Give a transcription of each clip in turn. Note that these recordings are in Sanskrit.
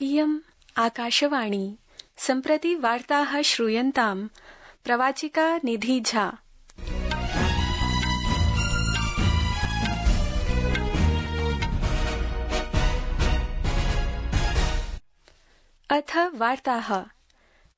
इयम् आकाशवाणी सम्प्रति वार्ताः श्रूयन्ताम् प्रवाचिका निधि झा। अथ वार्ताः।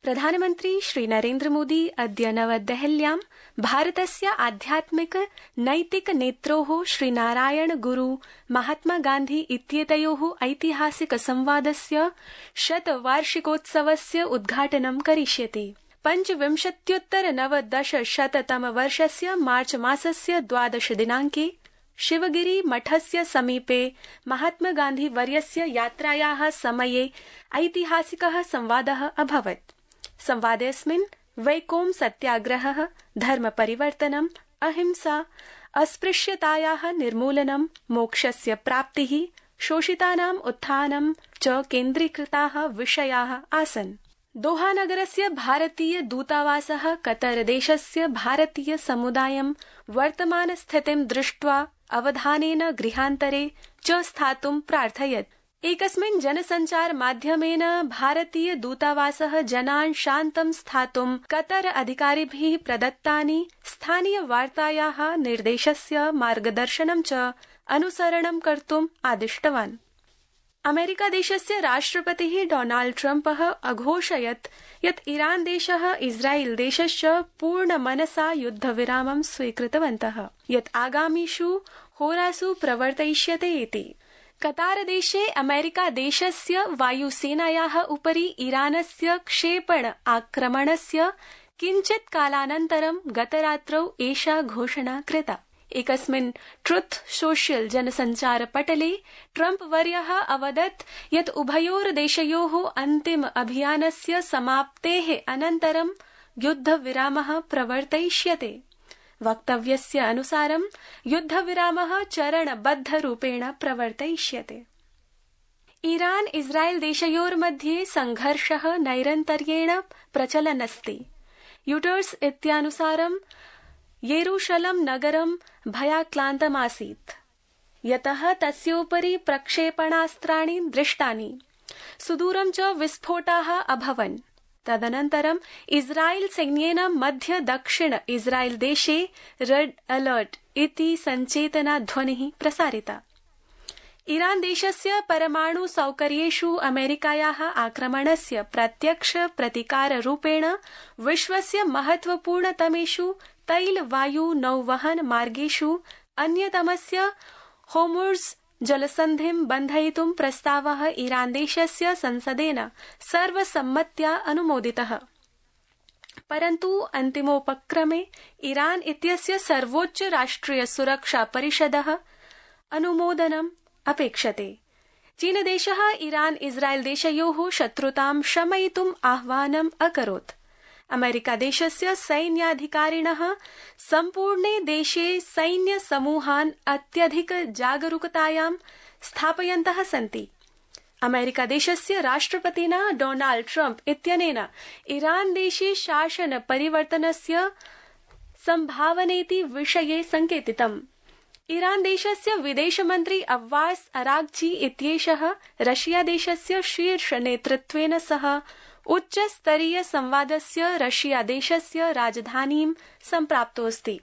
प्रधानमन्त्री श्री नरेन्द्र मोदी अद्य नवदेहल्यां भारतस्य आध्यात्मिक नैतिक नेत्रोः श्रीनारायण गुरु महात्मा गान्धी इत्येतयोः ऐतिहासिक संवादस्य शतवार्षिकोत्सवस्य उद्घाटनं करिष्यति। 25-नवदशशततमवर्षस्य मार्च मासस्य 12 दिनाङ्के शिवगिरि मठस्य समीपे महात्मा गान्धी वर्यस्य यात्रायाः समये ऐतिहासिकः संवादः अभवत्। संवादेऽस्मिन् वैकोम सत्याग्रहः, धर्म परिवर्तनम्, अहिंसा, अस्पृश्यतायाः निर्मूलनं, मोक्षस्य प्राप्तिः, शोषितानाम् उत्थानं च केन्द्रीकृताः विषयाः आसन्। दोहानगरस्य भारतीय दूतावासः कतरदेशस्य भारतीय समुदायं वर्तमानस्थितिं दृष्ट्वा अवधानेन गृहान्तरे च स्थातुं प्रार्थयत्। एकस्मिन् जनसञ्चार माध्यमेन भारतीय दूतावासः जनान् शान्तं स्थातुं कतर अधिकारिभिः प्रदत्तानि स्थानीय वार्तायाः निर्देशस्य मार्गदर्शनं च अनुसरणं कर्तुम् आदिष्टवान्। अमेरिकादेशस्य राष्ट्रपतिः डोनाल्ड ट्रम्पः अघोषयत् यत् ईरान देशः इस्राएल देशश्च पूर्णमनसा युद्धविरामं स्वीकृतवन्तः, यत् आगामिषु होरासु प्रवर्तयिष्यते इति। कतारदेशे अमेरिकादेशस्य वायुसेनायाः उपरि ईरानस्य क्षेपण आक्रमणस्य किञ्चित् कालानन्तरं गतरात्रौ एषा घोषणा कृता। एकस्मिन् ट्रुथ सोशल जनसञ्चारपटले ट्रम्प वर्यः अवदत् यत् उभयोर्देशयोः अन्तिम अभियानस्य समाप्तेः अनन्तरं युद्धविरामः प्रवर्तयिष्यते। वक्तव्यस्य अनुसारं युद्धविरामः चरणबद्धरूपेण प्रवर्तयिष्यते। ईरान इस्राएल देशयोर्मध्ये संघर्षः नैरन्तर्येण प्रचलन्नस्ति। यूटर्स इत्यानुसारं येरूशलं नगरं भयाक्रान्तमासीत्, यतः तस्योपरि प्रक्षेपणास्त्राणि दृष्टानि, सुदूरं च विस्फोटाः अभवन्। तदनन्तरं इस्राएल सैन्येन मध्य दक्षिण इस्राएल देशे रेड अलर्ट इति सञ्चेतनाध्वनिः प्रसारिता। ईरान देशस्य परमाणु सौकर्येषु अमेरिकायाः आक्रमणस्य प्रत्यक्ष प्रतिकाररूपेण विश्वस्य महत्वपूर्णतमेषु तैल वायु नौवहन मार्गेषु अन्यतमस्य होर्मुज़ जलसन्धिं बन्धयितुं प्रस्तावः ईरान देशस्य संसदेन सर्वसम्मत्या अनुमोदितः। परन्तु अन्तिमोपक्रमे ईरान इत्यस्य सर्वोच्च राष्ट्रिय सुरक्षा परिषदः अनुमोदनम् अपेक्षते। चीनदेशः ईरान इस्राएल देशयोः शत्रुतां शमयितुम् आह्वानम् अकरोत्। अमेरिकादेशस्य सैन्याधिकारिणः सम्पूर्णे देशे सैन्यसमूहान् अत्यधिक जागरूकतायां स्थापयन्तः सन्ति। अमेरिकादेशस्य राष्ट्रपतिना डोनाल्ड ट्रम्प इत्यनेन ईरान देशे शासन परिवर्तनस्य सम्भावनेति विषये संकेतितम्। ईरान देशस्य विदेशमन्त्री अब्बास अरागची इत्येषः रशिया देशस्य शीर्ष नेतृत्वेन सह उच्चस्तरीय संवादस्य रशिया देशस्य राजधानीं सम्प्राप्तोऽस्ति।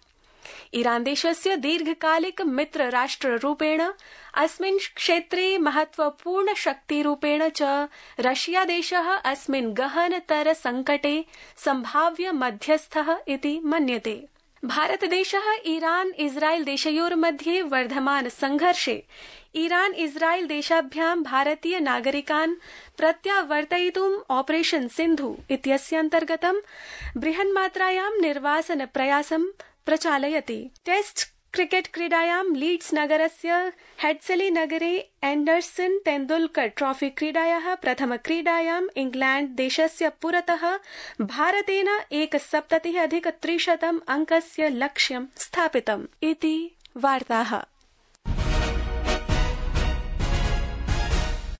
ईरान देशस्य दीर्घकालिक मित्र राष्ट्ररूपेण अस्मिन् क्षेत्रे महत्वपूर्ण शक्तिरूपेण च रशिया देशः अस्मिन् गहनतर संकटे सम्भाव्य मध्यस्थः इति मन्यते। भारतदेशः ईरान इस्राएल देशयोर्मध्ये वर्धमान संघर्षे ईरान इस्राएल देशाभ्यां भारतीय नागरिकान् प्रत्यावर्तयितुम् ऑपरेशन सिन्धु इत्यस्यान्तर्गतं बृहन्मात्रायां निर्वासन प्रयासं प्रचालयति। टेस्ट क्रिकेट क्रीडायां लीड्स नगरस्य हेड्सली नगरे एंडरसन तेंदुलकर ट्रॉफी क्रीडायाः प्रथमक्रीडायां इंग्लैंड देशस्य पुरतः भारतेन 71+300 अङ्कस्य लक्ष्यं स्थापितम् इति वार्ताः।